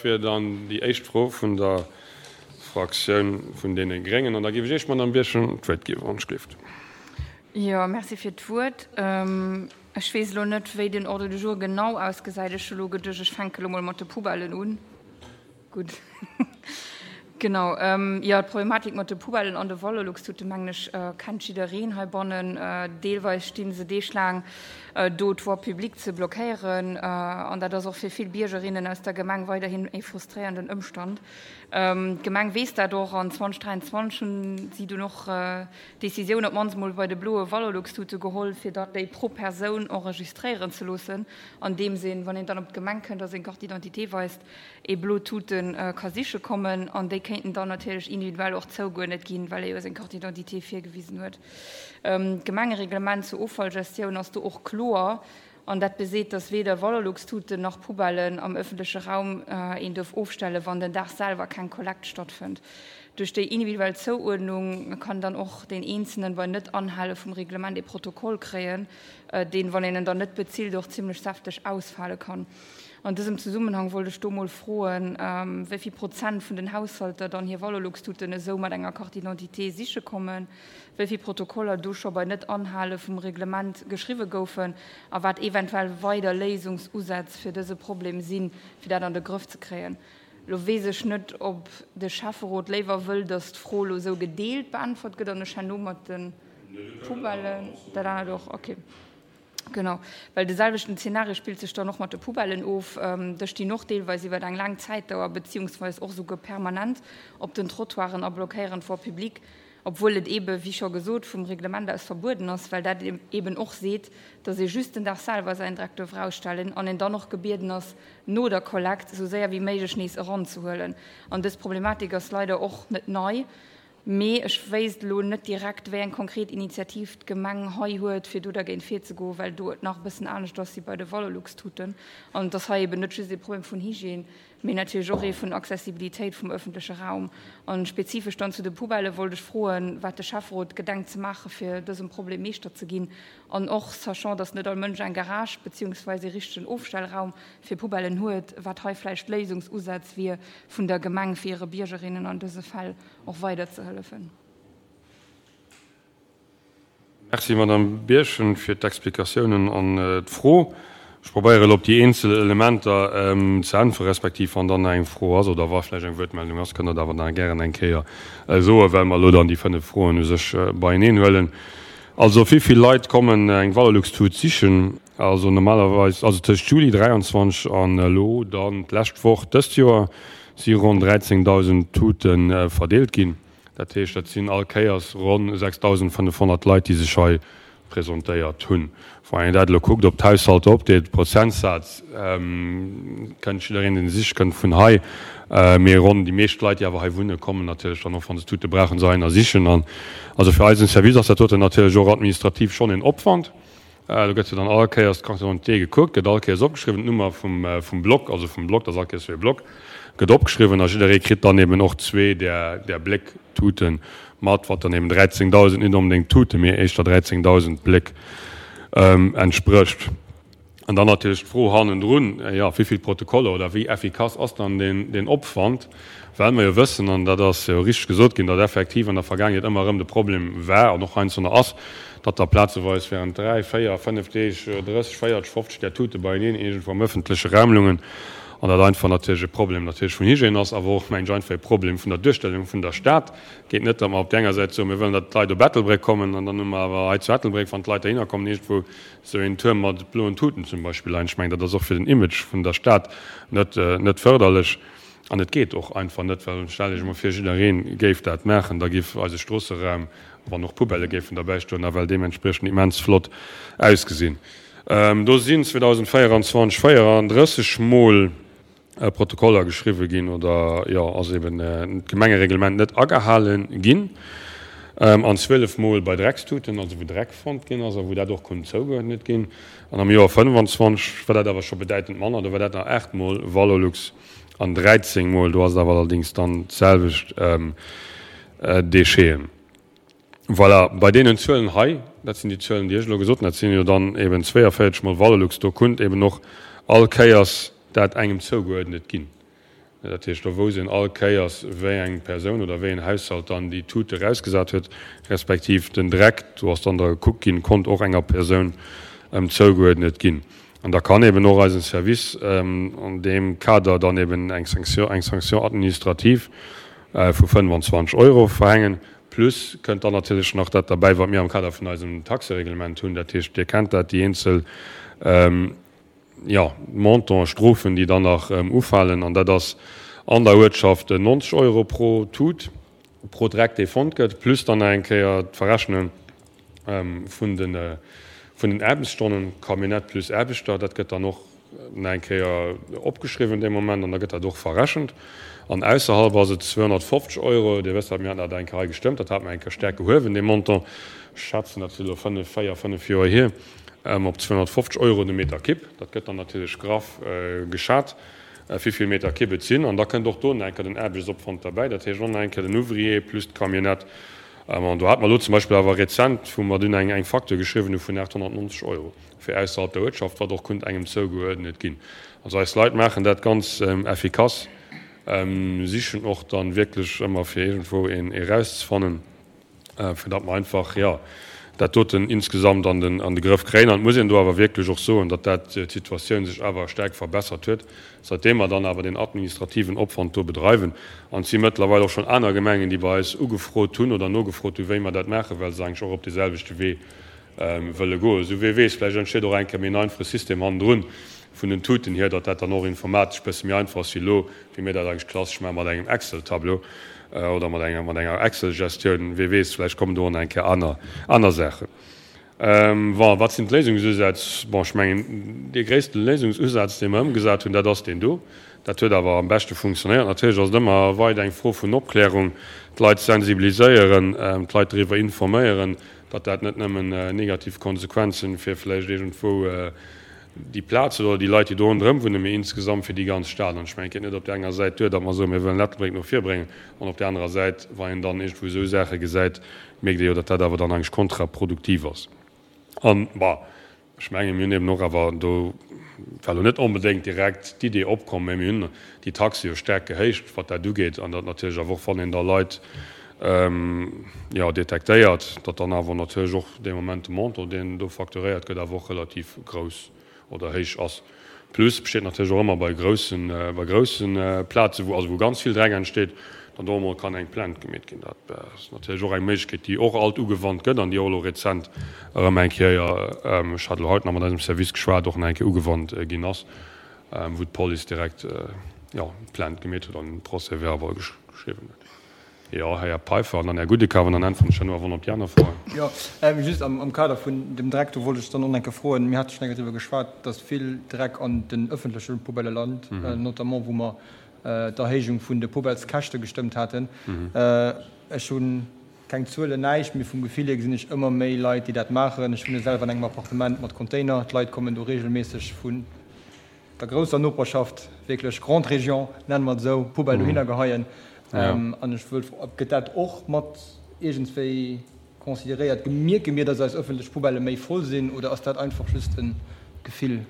wier dann déi éischt Fro vun der Fraktioun vun deene Gréngen. An da géif ech Iech, Madamm Birchen, d'Wuert ginn, wann ech gleeft. Jo, merci fir d'Wuert. Ech weess elo net, wéi den Ordre du jour genau ausgesäit. Ech hu elo geduecht, ech fänke elo mol mat de Poubellen un. Gutt. Genau. Jo, d'Problematik mat de Poubellen an de Valorlux-Tuten, mengen ech, kennt jiddereen heibannen. Deelweis sti se deeglaang do, d'Voie publique ze blockéieren. An dat ass och fir vill Biergerinnen aus der Gemeng weiderhin e frustréiernden Ëmstand. D'Gemeng weess dat och an 2023 hunn si dunn och d'Decisioun op d'mannst emol bei de bloe Valorlux-Tute geholl, fir dann déi pro Persoun enregistréieren ze loossen, andeems een, wann een dann op d'Gemeng kënnt a seng Carte d'identité weist, ee blo Tute ka siche kommen an déi kéinten dann natierlech individuell och zougeuerdnet ginn, well e jo seng Carte d'identité virgewisen huet. D'Gemengereglement zur Offallgestioun ass do och kloer an dat beseet, dass weder Valorlux-Tuten nach Poubellen am ëffentleche Raum een duerf ofstellen, wann den Dag selwer keng Kollekt stattfënnt. Duerch déi individuell Zouuerdnung kann dann och deen Eenzelen bei Net-Anhale vum Reglement ee Protokoll kréien, deen, wann een en dann net bezilt, och zimmlech säfteg ausfale kann. An dësem Zesummenhang wollt ech do mol froen, wéi vill Prozent vun den Haushalter dann hir Valorlux-Tuten esou mat enger Carte d'identité siche kommen, wéi vill Protokoller do scho bei Net-Anhale vum Reglement geschriwwe goufen a wat eventuell weider Léisungsusätz fir dëse Problem sinn, fir dat an de Grëff ze kréien. Lo weess ech net, ob de Schäfferot léiwer wëll, datt d'Fro elo esou gedeelt beäntwert gëtt an ech herno mat de Poubellen dat anert och. Okay. Genau, well de selwechten Zeenario spillt sech dann och mat de Poubellen of. Dës stinn och deelweis iwwer eng laang Zäitdauer beziehungsweis och esouguer permanent op den Trottoiren a blockéieren d'Voie publique, obwuel et eebe wéi scho gesot vum Reglement aus verbueden ass, well dat eeben och seet, dass ee just den Dag selwer säin Dreck duerf erausstellen an een dann och gebieden ass, no der Kollekt esou séier wéi méiglech nees eranzehuelen. An dës Problematik ass leider och net nei. Mee ech wéisst elo net direkt, wéi eng konkret Initiativ d'Gemeng hei huet, fir do dergéint virzegoen, well do et nach e bëssen anescht ass wéi bei de Valorlux-Tuten. An et ass hei eben net just ee Problem vun Hygiène, mee natierlech och ee vun Accessibilitéit vum ëffentleche Raum. A spezifesch dann zu de Poubellë wollt ech froen, wat de Schäfferot gedenkt ze maachen, fir dësem Problem Meeschter ze ginn. An och sachant, dass net all Mënsch eng Garage beziehungsweise ee richtegen Ofstellraum fir Poubellen huet, wat hei vläicht Léisungsusätz wier vun der Gemeng, fir hire Biergerinnen an dëse Fäll och weider ze hëllefen. Merci, Madame Birchen, fir d'Explikatiounen an d'Fro. Ech probéiere elo op déi eenzel Elementer ze äntweren, respektiv wann dann nach eng Fro ass oder wa vläicht eng Wuertmeldung ass, kënnt Der dat awer nach gären eng Kéier soen, well mer elo dann déi 5 Froen u sech beieneen huelen. Also, wéi vill Leit kommen eng Valorlux-Tut sichen? Also normalerweis, also tëscht Juli 23 an elo dann d'lescht Woch dëst Joer, si ronn 13.000 Tute verdeelt ginn. Dat heescht, dat sinn all Kéiers ronn 6.500 Leit, déi sech hei presentéiert hunn. Wann een dat elo kuckt op d'Haushalter opdeelt, Prozentsaz, kënnt jiddereen, deen siche kënnt, vun hei. Mee ronn déi meescht Leit, déi awer hei wunnen, kommen natierlech dann och, wa se Tute brauchen, se heihinner sichen. An also fir eisen Service ass dat doten natierlech och administrativ schonn een Opwand. Do gëtt jo dann all Kéiers d'Carte d'identité gekuckt, gëtt all Kéiers opgeschriwwen, d'Nummer vum Block, also vum Block, dat ass all Kéiers fir e Block, gëtt opgeschriwwen a jidderee kritt dann eben och zwee där Bléck-Tute mat, wat dann eben 13.000, net onbedéngt Tuten, mee éischter 13.000 Bléck entsprécht. An dann natierlech d'Fro hannendrun, jo, wéi vill Protokoller oder wéi effikass ass dann deen Opwand? Well mer jo wëssen, an dat ass jo richteg gesot ginn, datt effektiv an der Vergaangenheet ëmmer erëm de Problem war an och heiansdo nach ass, datt da plazeweis während dräi, véier, fënnef Deeg 30, 40, 50 där Tute beieneen iergendwou am ëffentleche Raum lungen an dat einfach natierlech e Problem natierlech vun Hygiène ass, awer och, mengen ech, einfach e Problem vun der Duerstellung vun der Stad. Geet net, datt mer op där enger Säit soen, mir wëllen, datt d'Leit op Ettelbréck kommen, an dann hu mer awer hei zu Ettelbréck, wann d'Leit dohinner kommen, iergendwou esou een Tuerm mat bloen Tuten zum Beispill leien. Ech mengen, dat ass och fir den Image vun der Stad net, net fërderlech. An et geet och einfach net, well stellt Iech emol vir, jidderee géif dat maachen, da géif eise Stroosseraum, wann och Poubellë géifen derbäi stoen, nawell deementspriechend immens flott ausgesinn. Do sinn 2024 34 Mol Protokoller geschriwwe ginn oder, jo, ass eben d'Gemengereglement net agehale ginn. An 12 Mol bei Dreckstuten, also wou Dreck fonnt ginn ass a wou dat och konnt zougeuerdnet ginn. An am Joer 25 war dat awer scho bedäitend manner, do war dat nach 8 Mol Valorlux an 13 Mol, do ass et awer allerdéngs dann d'selwecht Décheten. Voilà, bei deenen Zuelen hei, dat sinn déi Zuelen, déi ech elo gesot hunn, dat sinn jo dann eben 42 Mol Valorlux, do kunnt eben och all Kéiers dat engem zougeuerdnet ginn. Dat heescht, do wousst een all Kéiers, wéi eng Persoun oder wéi een Haushalt dann déi Tute erausgesat huet, respektiv den Dreck, do ass dann da gekuckt ginn, konnt och enger Persoun zougeuerdnet ginn. An da kann eben och eisen Service an deem Kader dann eben eng Sanction, eng Sanction administrative vu 25 Euro verhängen. Plus kënnt dann natierlech nach dat derbäi, wat mir am Kader vun eisem Taxereglement hunn. Dat heescht, Dir kennt dat, déi eenzel, jo, Montanten, Strofen, déi dann nach ufalen. An dat ass an der Uertschaft 90 Euro pro Tut, pro Dreck, dee fonnt gëtt, plus dann nach eng Kéier d'Verrechnung vun de vun den Aarbechtsstonnen, Camionnette plus Aarbechter. Dat gëtt dann och nach eng Kéier opgeschriwwen dee Moment an da gëtt dat och verrechent. An ausserhalb ass et 250 Euro. Dir wësst dat, mir haten dat eng Kéier hei gestëmmt, dat hate mer eng Kéier staark gehuewen, dee Montant. Ech schätzen, dat ass elo fënnef, véier, fënnef Joer hier. Op 250 Euro de Meter Kibb. Dat gëtt dann natierlech graff geschat, wéi vill Meter Kibb et sinn. An da kënnt och do nach eng Kéier den Aarbechtsopwand derbäi, dat heescht och nach eng Kéier den Ouvrier plus d'Camionnette. An do hate mer elo zum Beispill awer rezent, wou mer dunn eng Facture geschriwwen hu vun 890 Euro fir ausserhalb der Uertschaft, wat och konnt engem zougeuerdnet ginn. Also eis Leit maachen dat ganz effikass, sichen och dann wierklech ëmmer fir iergendwou een erauszefannen. fir datt mer einfach, jo, dat doten insgesamt an den, an de Grëff kréien. An et muss een do awer wierklech och soen, datt dat d'Situatioun sech awer staark verbessert huet, säitdeem mer dann awer deen administrativen Opwand do bedreiwen. An et si mëttlerweil och schonn aner Gemengen, déi bei eis ugefrot hunn oder nogefrot hunn, wéi mer dat maachen, well se eigentlech och op deeselwechte Wee wëlle goen. Esou, wee weess, vläicht entsteet och eng Kéier méi en einfache System hannendrun vun den Tuten hier, datt dat dann och informatesch e bësse méi einfach ass wéi elo, wéi mir dat eigentlech klassesch maache mat engem Excel-Tableau oder mat enger, mat enger Excel-Gestioun. Wee weess, vläicht kommen do och nach eng Kéier aner, aner Saachen. Bon, wat sinn d'Léisungsusätz? Bon, ech mengen, dee gréisste Léisungsusaz, dee mer ëmgesat hunn, dat ass deen do. Dat huet awer am beschte funktionéiert. Natierlech ass et ëmmer weider eng Fro vun Opklärung, d'Leit sensibiliséieren, d'Leit doriwwer informéieren, datt dat net nëmmen negativ Konsequenzen fir vläicht iergendwou déi Plaz huet oder déi Leit, déi do ronderëm wunnen, mee insgesamt fir déi ganz Stad. An ech mengen, et geet net op där enger Säit duer, datt mer soen, mir wëllen Ettelbréck no vir bréngen, an op där anerer Säit, wa een dann iergendwou esou Saache gesäit, mierkt ee jo, datt dat awer dann eigentlech kontraproduktiv ass. An, bon, ech mengen, mir hunn eben och awer, do war elo net onbedéngt direkt d'Idee opkomm, mä mir hunn déi Taxe jo staark gehéicht, wat dat ugeet, an datt natierlech awer och, wann een da Leit, jo, detektéiert, datt dann awer natierlech och dee Moment de Montant, deen do facturéiert gëtt, awer och relativ grouss oder héich ass. Plus besteet natierlech och ëmmer bei groussen, bei groussen Plazen, wou also wou ganz vill Dreck entsteet, dann do emol kann eng Plainte gemeet ginn. Dat ass natierlech och eng Méiglechkeet, déi och alt ugewannt gëtt an déi och elo rezent erëm eng Kéier, ech hat elo haut nach mat eisem Service geschwat, och nach eng Kéier ugewannt ginn ass, wou d'Police direkt, jo, Plainte gemeet huet an Procès-verbal geschriwwen huet. Jo, Här Peiffer an dann Här Gudekav an dann äntweren ech herno awer op déi aner Froen. Jo, just am Kader vun dem Dreck, do wollt ech dann och nach eng Kéier froen, mir hate schonn eng Kéier driwwer geschwat, dass vill Dreck an den öffentleche Poubellë lant, notamment wou mer d'Erhéijung vun de Poubellskäschte gestëmmt haten. Ech hu keng Zuelen, näischt, mee vum Gefill hier gesinn ech ëmmer méi Leit, déi dat maachen. Ech wunne selwer an engem Appartement mat Container, d'Leit kommen do regelméisseg vun der grousser Noperschaft, wierklech Grande Région, nenne mer et esou, Poubelle dohinner geheien. An ech wëll froen, gëtt dat och mat iergendswéi consideréiert? Mierke mir, datt eis ëffentlech Poubellë méi voll sinn oder ass dat einfach just e Gefill?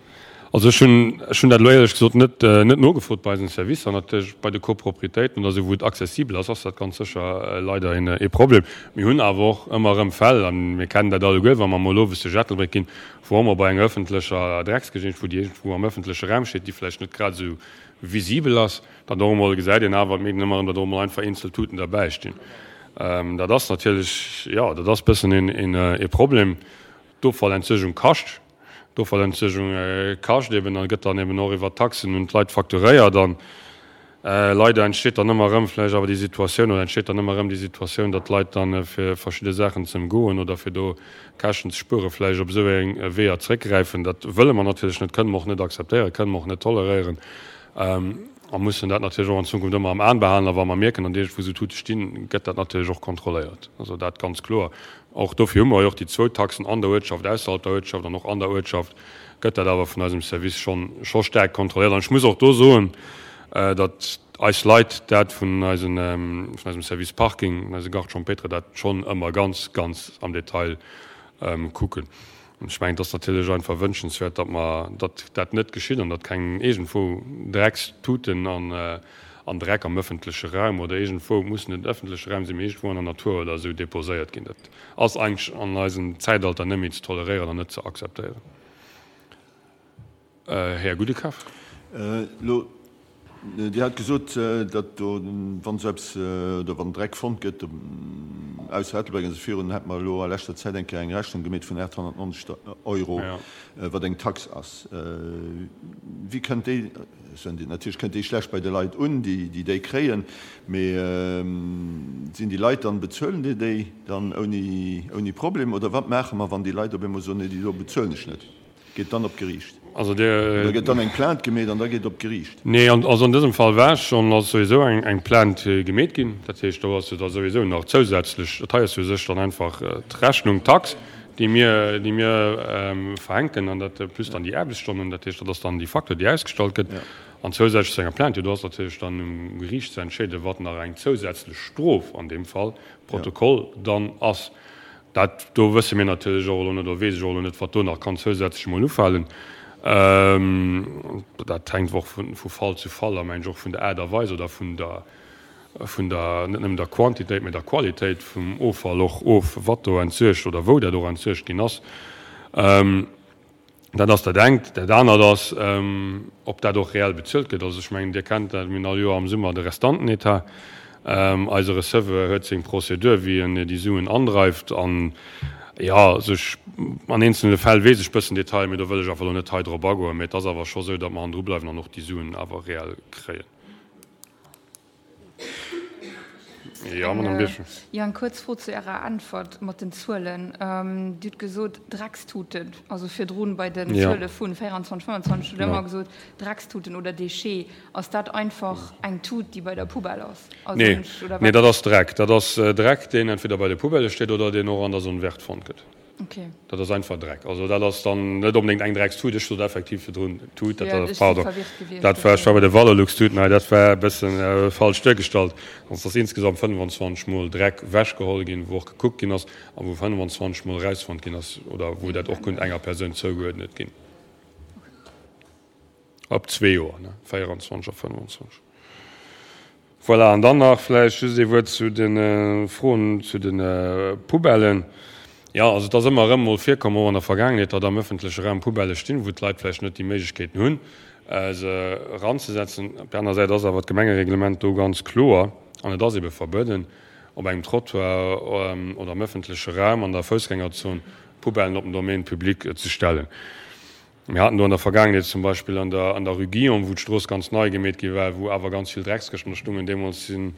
Also ech hunn, ech hunn dat elo éierlech gesot net, net nogefrot bei eisen Servicer. Natierlech bei de Copropriétéiten oder esou, wou et accessibel ass, ass dat ganz sécher leider een, ee Problem. Mir hunn awer och ëmmer erëm Fäll, a mir kennen dat alleguer, wa mer emol owes duerch Ettelbréck ginn, wou och mol bei enger ëffentlecher Drecksgeschicht, wou déi iergendwou am ëffentleche Raum steet, déi vläicht net grad esou visibel ass, dann och emol gesäit een awer, et mierkt een ëmmer erëm, datt och emol einfach eenzel Tuten derbäi stinn. Dat ass natierlech, jo, dat ass e bëssen een ee Problem. D'Offallentsuergung kascht. D'Offallentsuergung kascht eben a gëtt dann eben och iwwer Taxen un d'Leit facturéiert. An leider entsteet dann ëmmer erëm vläicht awer déi Situatioun, oder entsteet dann ëmmer erëm déi Situatioun, datt d'Leit dann, fir verschidde Saachen ze ëmgoen oder fir do Käschten ze spueren, vläicht op esou eng Weeër zréckgräifen. Dat wëlle mer natierlech net, kënne mer och net akzeptéieren, kënne mer och net toleréieren a mussen dat natierlech och an Zukunft ëmmer am An behalen. A wa mer mierken, datt iergendwou esou Tute stinn, gëtt dat natierlech och kontrolléiert. Also dat ganz kloer. Och dofir hu mer jo och déi zwou Taxen an der Uertschaft, ausserhalb der Uertschaft an och an der Uertschaft gëtt dat awer vun eisem Service schonn, scho staark kontrolléiert. An ech muss och do soen, datt eis Leit dat vun eisen, vun eisem Service Parking, vun eise Garde champêtre dat schonn ëmmer ganz, ganz am Detail kucken. An ech mengen, et ass natierlech einfach wënschenswäert, datt mer, datt dat net geschitt an datt keng iergendwou Dreckstuten an. An Dreck am ëffentleche Raum oder iergendwou, et muss net ëffentleche Raum sinn, mee iergendwou an der Natur oder esou deposéiert ginn. Dat ass eigentlech an eisem Zäitalter net méi ze toleréieren an net ze akzeptéieren. Här Gudekaf. Elo, Dir hat gesot, datt do, wann esou eppes oder wann Dreck fonnt gëtt, ausser Ettelbréck an esou virun, hätt mer elo a leschter Zäit eng Kéier eng Rechnung gemeet vun 890 Euro, wat eng Tax ass. Wéi kënnt déi, natierlech kënnt déi schlecht bei de Leit un, déi déi kréien, mee sinn déi Leit dann, bezuelen déi déi dann ouni Problem oder wat maache mer, wann déi Leit op eemol soen, nee déi do bezuelen ech net? Geet dann op d'Geriicht? Also Dir. Oder gëtt dann eng Plainte gemeet an da geet op d'Geriicht? Nee, also an dësem Fall war schonn, ass souwisou eng Plainte gemeet ginn. Dat heescht, do ass jo da souwisou nach zousätzlech, dat hei ass jo u sech dann einfach d'Rechnung, d'Tax, déi mir, déi mir verhänken, an dat plus dann déi Aarbechtsstonnen, dat heescht, dat ass dann déi Facture, déi ausgestallt gëtt. An zousätzlech zu enger Plainte, jo, do ass natierlech dann um Geriicht ze entscheeden, wat nach eng zousätzlech Strof an deem Fall, Protokoll, dann ass. Dat do wësse mir natierlech och elo net, oder weess ech och elo net, wat do nach kann zousätzlech emol ufalen. Dat hänkt och vu Fall zu Fall a mengen ech och vun der Aart a Weis oder vun der, vun der, net nëmmen der Quantitéit, mä der Qualitéit vum Offall och of, wat do entsuergt oder wou dat och entsuergt ginn ass. Dat ass dat engt. Dat anert ass, ob dat och reell bezuelt gëtt. Also ech mengen, Dir kennt dat, mir hunn all Joer am Summer de Restantenetat. Eise Receveur huet seng Prozedur, wéi en déi Suen andreift. An, jo, also ech, an eenzelne Fäll weess ech bëssen Detailer, mee do wëll ech awer elo net hei drop agoen. Mee et ass awer scho sou, datt mer hannendru bleiwen an och déi Suen awer reell kréien. Jo, Madame Birchen. Jo, eng kuerz Fro zu Ärer Äntwert mat den Zuelen. Dir hutt gesot, Dreckstuten, also virdrun bei den Zuele vu 24, 25 hutt Der ëmmer gesot, Dreckstuten oder Déchets. Ass dat einfach eng Tut, déi bei der Poubelle ass? Nee, nee, dat ass Dreck. Dat ass Dreck, deen entweder bei de Poubellë steet oder deen och an der Zone verte fonnt gëtt. Okay. Dat ass einfach Dreck. Also dat ass dann net onbedéngt eng Dreckstut. Ech sot effektiv virdrun Tut, dat ass, pardon, dat war, ech war bei de Valorlux-Tuten hei, dat war e bëssen falsch duergestallt. Also et ass insgesamt 25 Mol Dreck ewechgeholl ginn, wou och gekuckt ginn ass a wou 25 Mol erausfonnt ginn ass oder wou dat och konnt enger Persoun zougeuerdnet ginn. Op zwee Joer, ne, 24 a 25. Voilà, an dann nach vläicht just ee Wuert zu de Froen zu de Poubellen. Jo, also et ass ëmmer erëm mol virkomm, och an der Vergaangenheet, datt am ëffentleche Raum Poubellë stinn, wou d'Leit vläicht net déi Méiglechkeeten hunn, se eranzesetzen. Op där aner Säit ass awer d'Gemengereglement do ganz kloer an et ass ebe verbueden, op engem Trottoir oder am ëffentleche Raum an der Foussgängerzon Poubellen op den Domaine public ze stellen. Mir haten do an der Vergaangenheet zum Beispill an der an der Rue Guillaume, wou d'Strooss ganz nei gemeet gi war, wou awer ganz vill Dreckskëschten do stungen. Deemools sinn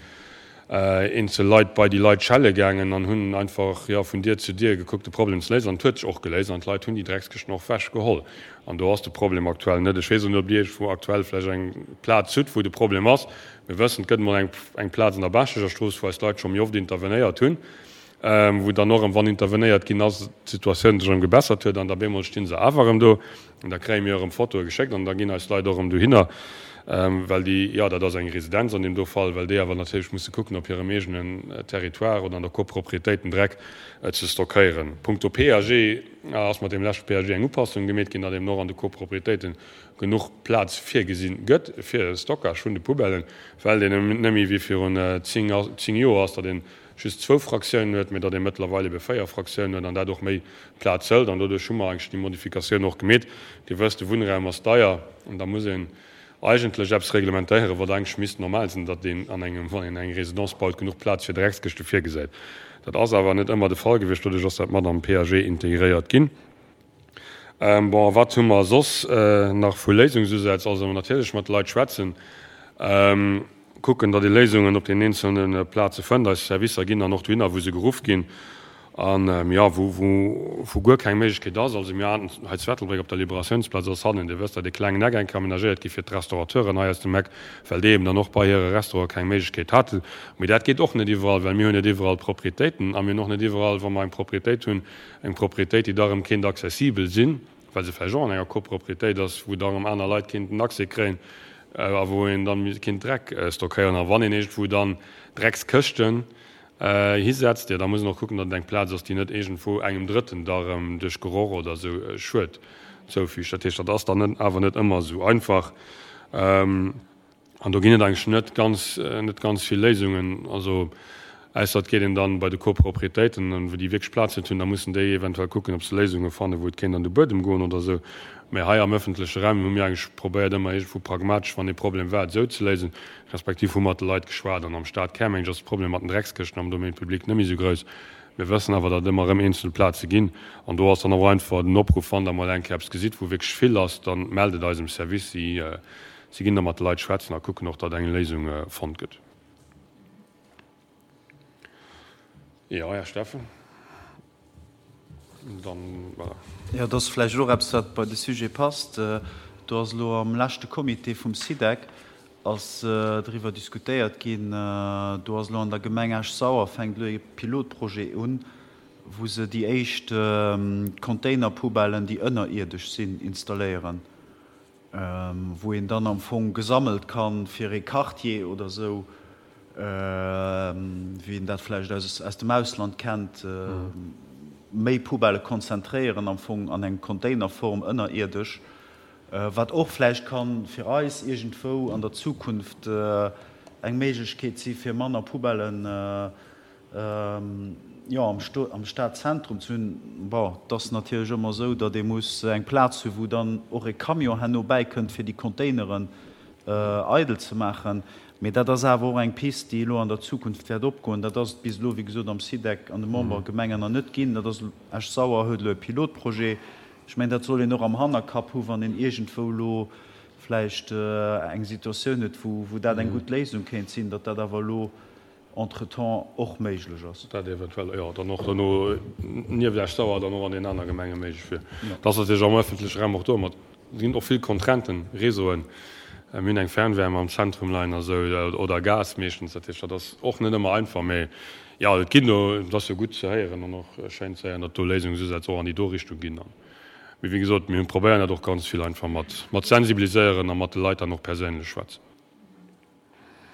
eenzel Leit bei déi Leit schelle gaangen an hunn einfach, jo, vun Dier zu Dier gekuckt, de Problem ze léisen. An et huet sech och geléist an d'Leit hunn déi Dreckskëschten och wech geholl. An do ass de Problem aktuell net. Ech weess och net, ob Dir iergendwou aktuell vläicht eng Plaz hutt, wou de Problem ass. Mir wëssen, et gëtt emol eng eng Plaz an der Baaschteger Strooss, wou eis Leit scho méi oft intervenéiert hunn. wou dann och erëm, wann intervenéiert ginn ass, d'Situatioun sech erëm gebessert huet an da bemol sti se awer erëm do an da kréie mir erëm Fotoe geschéckt an da ginn eis Leit och erëm dohinner, well déi, jo, dat ass eng Residenz an deem do Fall, well déi awer natierlech musse kucken, op hirem eegenen Territoire oder an der Copropriétéit den Dreck ze stockéieren. Punkto PAG ass mat deem leschte PAG eng Upassung gemeet ginn, datt eben och an de Copropriétéite genuch Plaz virgesinn gëtt fir de Stockage vun de Poubellen, well deen net méi wéi virun 10 Joer ass, datt een just zwou Fraktiounen huet, mä datt ee mëttlerweil ebe 4 Fraktiounen huet an dat och méi Plaz hëlt. An doduerch hu mer eigentlech déi Modifikatioun och gemeet. Dir wësst, de Wunnraum ass deier an da muss een eigentlech eppes reglementéieren, wat eigentlech misst normal sinn, datt een an engem, wann een eng Résidence baut, genuch Plaz fir Dreckskëschte virgesäit. Dat ass awer net ëmmer de Fall gewiescht. Doduerch ass dat mat am PAG integréiert ginn. Bon, a wat hu mer soss nach vu Léisungsusätz? Also natierlech mat de Leit schwätzen. Kucken, datt ee Léisungen op den eenzelne Plaze fënnt. Eis Servicer ginn dann och dohinner, wou se geruff ginn an, jo, wou, wou guer keng Méiglechkeet ass. Also mir haten hei zu Ettelbréck op der Liberatiounsplaz ass hannen, Dir wësst dat, e klengen Eck eng Kéier amenagéiert gi fir d'Restaurateuren hei aus dem Eck, well déi eben dann och bei hire Restaurante keng Méiglechkeet haten. Mee dat geet och net iwwerall, well mir hunn net iwwerall Proprietéiten a mir hunn och net iwwerall, wa mer eng Proprietéit hunn, eng Proprietéit, déi da erëm kéint accessibel sinn. well se vläicht och an enger Copropriétéit ass, wou da erëm aner Leit kéinten Accès kréien a wou een dann kéint Dreck stockéieren. A wann een iergendwou dann Dreckskëschten hisetzt, jo da muss een och kucken, datt et eng Plaz ass, déi net iergendwou engem Drëtten da erëm duerch Geroch oder esou Schued zoufügt. Dat heescht, dat ass dann awer net ëmmer esou einfach. An do ginn et eigentlech net ganz, net ganz vill Léisungen. Also ausser et geet een dann bei de Copropriétéiten, wou déi wierklech Plaz net hunn, da mussen déi eventuell kucken, ob se Léisunge fannen, wou et kéint an de Buedem goen oder esou. Mä hei am öffentleche Raum hu mir eigentlech probéiert, ëmmer iergendwou pragmatesch, wann ee Problem war, et esou ze léisen, respektiv hu mat de Leit geschwat. An am Stadkär, meng ech, ass de Problem mat den Dreckskëschten am Domaine public net méi esou grouss. Mir wëssen awer, datt et ëmmer erëm eenzel Plaze ginn. An do ass dann och einfach den Opruff, wann Der mol eng Kéier eppes gesitt, wou wierklech vill ass, da mellt et eisem Service. Si Si ginn da mat de Leit schwätzen a kucken och, datt eng Léisung fonnt gëtt. Jo, Här Steffen, dann, voilà. Jo, dat ass vläicht och eppes, wat bei de Sujet passt. Do ass elo am leschte Comité vum SIDEC ass driwwer diskutéiert ginn. Do ass elo an der Gemeng Esch-Sauer fänkt elo ee Pilotprojet un, wou se déi éischt Containerpoubellen, déi ënnerierdesch sinn, installéieren. wou een dann am Fong gesammelt kann fir ee Quartier oder esou, wéi een dat vläicht aus dem Ausland kennt, méi Poubellë konzentréieren am Fong an eng Containerform ënnerierdesch, wat och vläicht kann fir eis iergendwou an der Zukunft eng Méiglechkeet si fir manner Poubellen Jo, am Stadzentrum ze hunn. Bon, et ass natierlech ëmmer esou, datt ee muss eng Plaz hunn, wou dann och e Camion herno bäikënnt, fir déi Containeren eidel ze maachen. Mee dat ass awer och eng Pist, déi elo an der Zukunft wäert opgoen. Dat ass et bis elo, wéi gesot, am SIDEC an de Membergemengen nach net ginn. Dat ass, Esch-Sauer huet elo e Pilotprojet. Ech mengen, dat soll een och am Hannerkapp hu wann een iergendwou elo vläicht eng Situatioun huet, wou dat eng gutt Léisung kéint sinn, datt dat awer elo entretemps och méiglech ass. Dat eventuell, jo, dann och dono nieft Esch-Sauer dann och an den aner Gemenge méiglech wier. Dat ass natierlech am öffentleche Raum och do mat, et ginn och vill Contrainten, Réseauen, mir hunn eng Fernwärme am Zentrum leien a sou, oder Gas meeschtens, dat heescht, dat ass och net ëmmer einfach. Mee jo, et ginn do, et ass jo gutt ze héieren an och schéin ze héieren, datt do Léisungsusätz och an déi do Richtung ginn. Mee wéi gesot, mir hunn probéieren dat och ganz vill einfach mat mat sensibiliséieren a mat de Leit dann och perséinlech schwätzen.